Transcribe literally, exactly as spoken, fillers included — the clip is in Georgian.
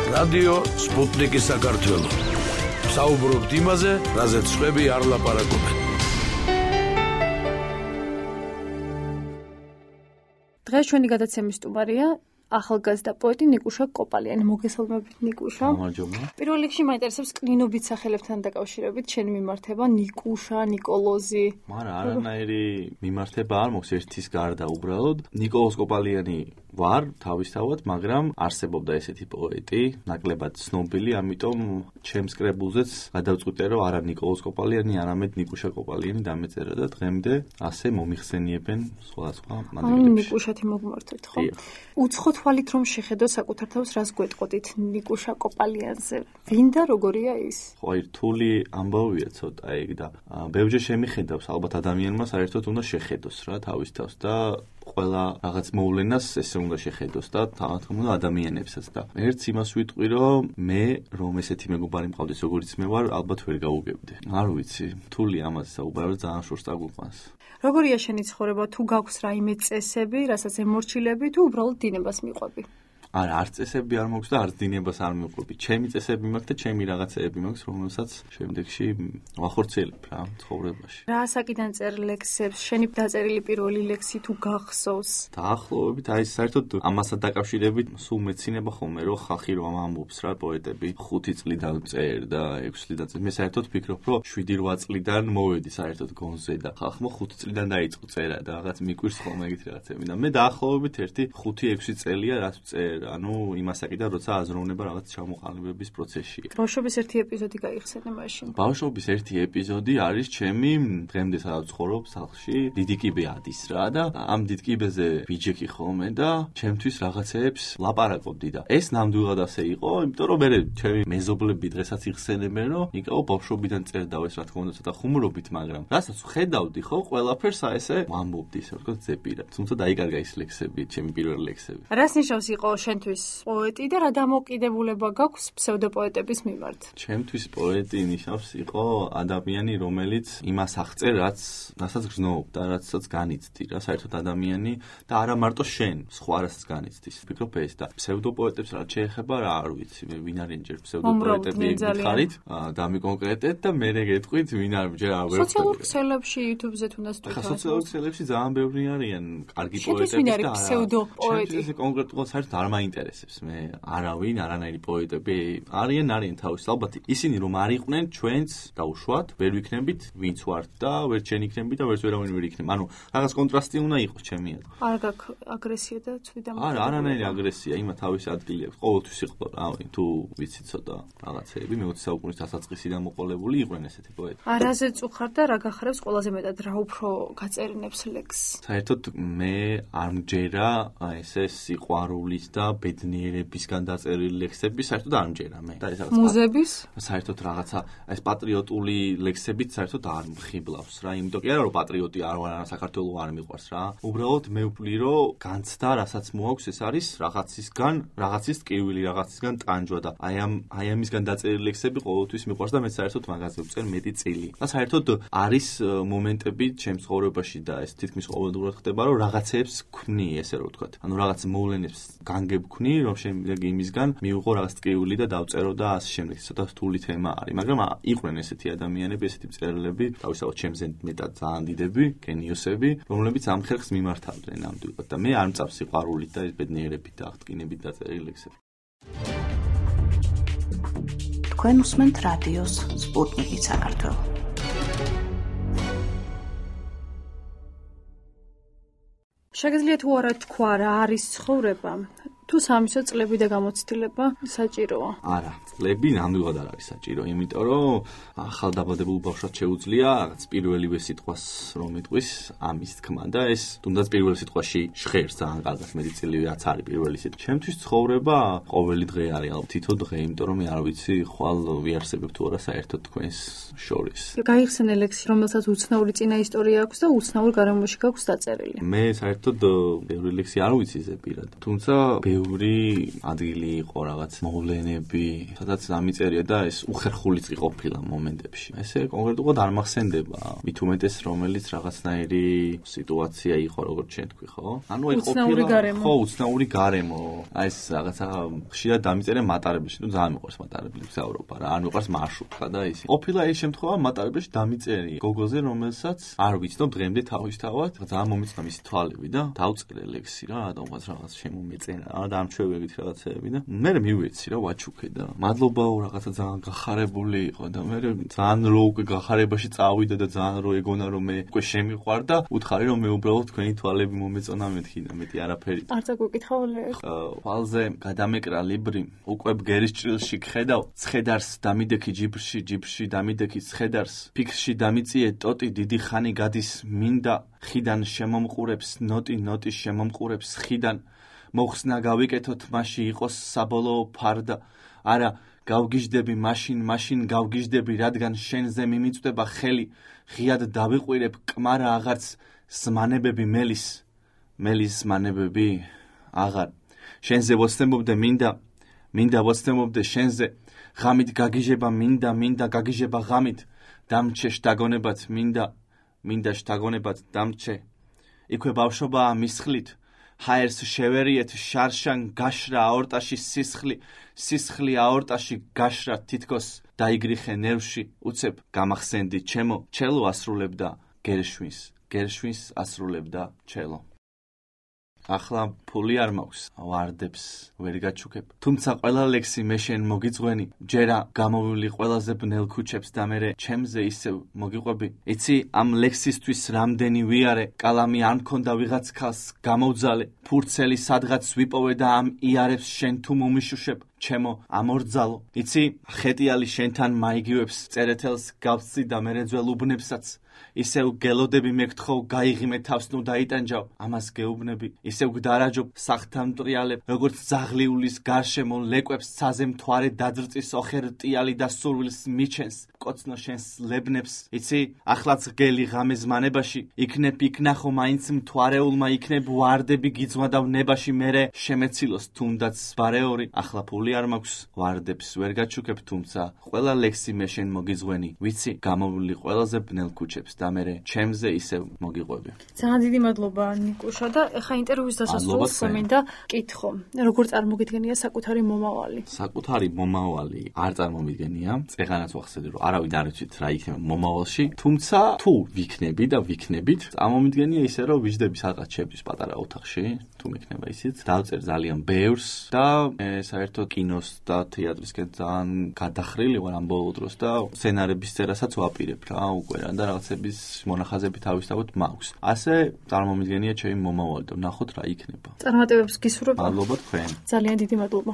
რადიო სპუტნიკი საქართველო. საუბრობთ იმაზე, რაზეც სხვები არ ლაპარაკობენ. დღეს ჩვენი გადაცემის სტუმარია ახალგაზრდა პოეტი ნიკუშა კოპალიანი. მოგესალმებით ნიკუშა. გამარჯობა. პირველ რიგში მაინტერესებს კნინობით სახელებთან დაკავშირებით შენი მიმართება ნიკუშა, ნიკოლოზი. მაგრამ არანაირი მიმართება არ მოქვს ერთის გარდა უბრალოდ. ნიკოლოზ კოპალიანი ვარ თავისთავად, მაგრამ არსებობდა ესეთი პოეტი, ნაკლებად ცნობილი, ამიტომ ჩემს კრებულზეც გადავწყვიტე, რომ არა ნიკოლოზ კოპალიანი, არამედ ნიკუშა კოპალიანი დამეწერა და დღემდე ასე მომიხსენიებენ სხვადასხვა მანერებში. ნიკუშათი მოგმართეთ, ხო? უცხო თვალით რომ შეხედო საკუთარ თავს, რას გვეტყოდით ნიკუშა კოპალიანზე? ვინ და როგორია ის? ხო, აი რთული ამბავია ცოტა ეგ და ბევრჯერ შემიხედავს, ალბათ ადამიანმა საერთოდ უნდა შეხედოს რა თავის თავს და ყველა რაღაც მოვლენას ესე უნდა შეხედოს და თამათ უნდა ადამიანებსაც და ერთს იმას ვიტყვი, რომ მე რომ ესეთი მეგობარი მყავდეს როგორც მე ვარ, ალბათ ვერ გავუგებდი. არ ვიცი, რთული ამაზე საუბარი, ძალიან შორს წაგვიყვანს. როგორია შენი ცხოვრება? თუ გაქვს რაიმე წესები, რასაც ემორჩილები, თუ უბრალოდ დინებას მიყვები? არა, არც წესები არ მაქვს და არც დინებას არ მიყვები. ჩემი წესები მაქვს და ჩემი რაღაცეები მაქვს, რომელსაც შემდეგში ვახორციელებ რა ცხოვრებაში. რა ასაკიდან წერ ლექსებს? შენი დაწერილი პირველი ლექსი თუ გახსოვს? დაახლოებით, აი საერთოდ ამასთან დაკავშირებით სულ მეცინება ხოლმე, რომ ხალხი რომ ამბობს რა პოეტები ხუთი წლიდან წერ და ექვსი წლიდან წერ. მე საერთოდ ვფიქრობ, რომ შვიდი რვა წლიდან მოვედი საერთოდ გონზე და ხალხმა ხუთი წლიდან დაიწყო წერა და რაღაც მიკვირს ხოლმე ეგეთი რაღაცები და მე დაახლოებით ერთი ხუთი ექვსი წელია რაც წერ. ანუ იმ ასაკიდან როცა აზროვნება რაღაც ჩამოყალიბების პროცესშია. ბავშვობის ერთი ეპიზოდი გაიხსენე მაშინ. ბავშვობის ერთი ეპიზოდი არის ჩემი დღემდე სადაც ვცხოვრობ სახლში, დიდი კიბე ადის რა და ამ დიდ კიბეზე ვიჯექი ხოლმე და ჩემთვის რაღაცეებს ლაპარაკობდი და ეს ნამდვილად ასე იყო, იმიტომ რომ მე ჩემი მეზობლები დღესაც იხსენებენ, რომ ნიკაო ბავშვობიდან წერდა ეს რა თქმა უნდა ცოტა ხუმრობით, მაგრამ რასაც ხედავდი ხო, ყველაფერს ესე ვამბობდი, ისე ვთქვათ ზეპირად. თუმცა დაიკარგა ის ლექსები, ჩემი პირველი ლექსები. რას ნიშნავს იყო შენთვის პოეტი და რა დამოკიდებულება გაქვს ფსევდოპოეტების მიმართ? ჩემთვის პოეტი ნიშნავს იყო ადამიანი, რომელიც იმას აღწერ, რაც რასაც გრძნობ და რაცაც განიცდი, რა საერთოდ ადამიანი და არა მარტო შენ, სხვა რასაც განიცდის. ვფიქრობ ეს და ფსევდოპოეტებს რაც შეეხება, რა არ ვიცი, მე ვინ არის ჯერ ფსევდოპოეტები გითხარით, დამიკონკრეტეთ და მე გეტყვით ვინ არის ჯერ არ ვერ. სოციალურ ქსელებში, YouTube-ზე თუნდაც თვითონ. სოციალურ ქსელებში ძალიან ბევრი არიან კარგი პოეტები და არა. ფსევდოპოეტი. ეს კონკრეტულად საერთოდ არ მაინტერესებს მე არავინ, არანაირი პოეტები არიან, არიან თავის ალბათ ისინი რომ არ იყვნენ ჩვენც დაუშვათ, ვერ ვიქნებით ვინც ვართ და ვერ ჩვენ იქნები და ვერც ვერავინ ვერ იქნება. ანუ რაღაც კონტრასტი უნდა იყოს ჩემი აზრით. არ გაქვს აგრესია და ცვიდა. არა, არანაირი აგრესია, იმა თავის ადგილი აქვს. ყოველთვის იყო რავი, თუ ვიცი ცოტა რაღაცეები მეოცე საუკუნის დასაწყისიდან მოყოლებული იყვნენ ესეთი პოეტები. არაზე წუხარ და რა გახარებს ყველაზე მეტად, რა უფრო გაწერინებს ლექსს? საერთოდ მე არ მჯერა ესე სიყვარულის და ბედნიერებისგან დაწერილი ლექსები საერთოდ არ მჯერა მე. და ეს რაღაც მუზების? საერთოდ რაღაცა ეს პატრიოტული ლექსებით საერთოდ არ მხიბლავს რა, იმიტომ კი არა რომ პატრიოტი არ ვარ, საქართველოს არ მიყვარს რა. უბრალოდ მე ვფლი რომ განცდა, რასაც მოაქვს, ეს არის რაღაცისგან, რაღაცის ტკივილი, რაღაცისგან ტანჯვა და აი ამ აი ამისგან დაწერილი ლექსები ყოველთვის მიყვარს და მე საერთოდ მაგაზე ვწერ მეტი წილი. და საერთოდ არის მომენტები ჩემს ცხოვრებაში და ეს თითქმის ყოველდღურად ხდება, რომ რაღაცეებს ვქმნი, ესე რომ ვთქვათ. ანუ რაღაც მოვლენებს განგებქნი, რომ შემდეგ იმისგან მივიღო რაღაც ტკივილი და დავწერო და ასე შემდეგ. ცოტა რთული თემა არის, მაგრამ იყვნენ ესეთი ადამიანები, ესეთი მწერლები, თავისთავად ჩემზე მეტად ძალიან დიდები, გენიოსები, რომლებიც ამ ხერხს მიმართავდნენ ნამდვილად და მე არ მწავს სიყვარულით და ბედნიერებით და აღდგინებით დაწერილი ლექსები. თქვენ უსმენთ რადიოს სპუტნიკი საქართველო. შეგიძლიათ თუ არა თქვა რა არის ცხოვრება? თუ სამისო წლები და გამოცდილება საჭიროა? არა, წლები ნამდვილად არ არის საჭირო, იმიტომ რომ ახალ დაბადებულ ბავშვად შეუძლია რაღაც პირველივე სიტყვას რომ იტყვის ამის თქმა და ეს თუნდაც პირველ სიტყვაში ჟღერს ძალიან კარგად მეტი წილი რაც არის პირველი სიტყვა. ჩემთვის ცხოვრება ყოველი დღე არის, ალბათ თითო დღე, იმიტომ რომ მე არ ვიცი ხვალ ვიარსებებ თუ არა საერთოდ თქვენს შორის. გაიხსენე ლექსი, რომელსაც უცნაური წინა ისტორია აქვს და უცნაურ გარემოში გაქვს დაწერილი. მე საერთოდ ბევრი ლექსი არ ვიცი ზეპირად, თუმცა ბევრი ადგილი იყო რაღაც მოვლენები, სადაც დამიწერია და ეს უხერხულიც ყოფილა მომენტებში. ესე კონკრეტულად არ მახსენდება. მით უმეტეს რომელიც რაღაცნაირი სიტუაცია იყო, როგორც ჩვენ თქვი, ხო? ანუ აი ყოფილა ხო, უცნაური გარემო. აი ეს რაღაცა ხშირად დამიწერე მატარებელში, ну ძალიან მიყვარს მატარებელი გზავრობა რა. არ მიყვარს მარშრუტკა და ისე. ყოფილა ეს შემთხვევა მატარებელში დამიწერი გოგოზე, რომელსაც არ ვიცნობ დღემდე თავისთავად, ძალიან მომეწონა მისი თვალები და დავწერე ლექსი რა, რადგანაც რაღაც შემომეწენა რა, დამჩვევებით რაღაცეები და მე მივეცი რა ვაჩუქე და მადლობაო რაღაცა ძალიან გახარებული იყო და მე ძალიან რო უკვე გახარებაში წავიდა და ძალიან რო ეგონა რომ მე უკვე შემიყვარ და უთხარი რომ მე უბრალოდ თქვენი თვალები მომეწონა მეთქი და მეტი არაფერი. არ წაგვიკითხავ ლექსს. თვალზე გადამეკრა ლიბრი, უკვე ბგერის ჭრილში გხედავ, ცხედარს დამიდექი ჯიბრში, ჯიბრში დამიდექი ცხედარს, ფიქრში დამიწიე ტოტი დიდი ხანი გადის მინდა ხიდან შემომყურებს ნოტი ნოტი შემომყურებს ხიდან მოხსნა გავიკეთოთ მასში იყოს საბოლოო ფარდა არა გავგიჟდები მაშინ მაშინ გავგიჟდები რადგან შენზე მიმიწვდება ხელი ღიად დავიყვირებ კმარა აღარც ზმანებები მელის მელის ზმანებები აღარ შენზე ვოცნებობდე მინდა მინდა ვოცნებობდე შენზე ღამით გაგიჟება მინდა მინდა გაგიჟება ღამით დამჩე შთაგონებად მინდა მინდა შთაგონებად დამჩე იქვე ბავშვობაა მისხლით ჰაერს შევერიეთ შარშან გაშრა აორტაში სისხლი სისხლი აორტაში გაშრა თითქოს დაიგრიხე ნერვში უცებ გამახსენდი ჩემო ჩელო ასრულებდა გერშვინს გერშვინს ასრულებდა ჩელო ახლა ფული არ მაქვს ვარდებს ვერ გაჩუქებ თუმცა ყველა ლექსი მე შენ მოგიწვენი ჯერა გამოვილი ყველაზე ბნელ ქუჩებს და მე ჩემზე ისევ მოგიყვები იცი ამ ლექსისთვის რამდენი ვიარე კალამი არ მქონდა ვიღაც ქალს გამოვძალე ფურცელი სადღაც ვიპოვე და ამ იარებს შენ თუ მომიშუშებ ჩემო ამორძალო იცი ხეტიალი შენთან მაიგივებს წერეთელს გავსწი და მე ძველ უბნებსაც ისევ გელოდები მეკთხო გაიღიმე თავს ნუ დაიტანჯავ ამას გეუბნები ისევ გდარაჯობ სახთან მტრიალებ როგორც ზაღლიულის გარშემო ლეკვებს ცაზე მთვარე დაძრწის ოხერ ტიალი და სურვილს მიჩენს კოცნო შენს ლებნებს იცი ახლაც გელი ღამე ზმანებაში იქნებ იქნახო მაინც მთვარეულმა იქნებ ვარდები გიძვადავ ნებაში მერე შემეცილოს თუნდაც ბარეორი ახლა ფული არ მაქვს ვარდებს ვერ გაჩუქებ თუმცა ყველა ლექსი მე შენ მოგიძღვენი ვიცი გამოვილი ყველაზე ბნელ ქუჩებს და მე ჩემზე ისევ მოგიყვები. ძალიან დიდი მადლობა ნიკუშა და ეხა ინტერვიუს დასასრულს მინდა კითხო. როგორ წარმოგიდგენია საკუთარი მომავალი? საკუთარი მომავალი არ წარმომიდგენია. წეგანაც ვახსენე რომ არავინ არ იცით რა იქნება მომავალში, თუმცა თუ ვიქნები და ვიქნებით, წარმომიდგენია ისე რომ ვიждები სადღაც ჩემთვის პატარა ოთახში, თუ მექნება ისიც. დავწერ ძალიან ბევრს და საერთოდ კინოს და თეატრისკენ ძალიან გადახრილი ვარ ამ ბოლო დროს და სცენარების წერასაც ვაპირებ რა უკვე რა და რაღაცები მონახაზები თავისთავად მაქვს. ასე წარმომიდგენია ჩემი მომავალი და ნახოთ რა იქნება. წარმატებებს გისურვებ. მადლობა თქვენ. ძალიან დიდი მადლობა.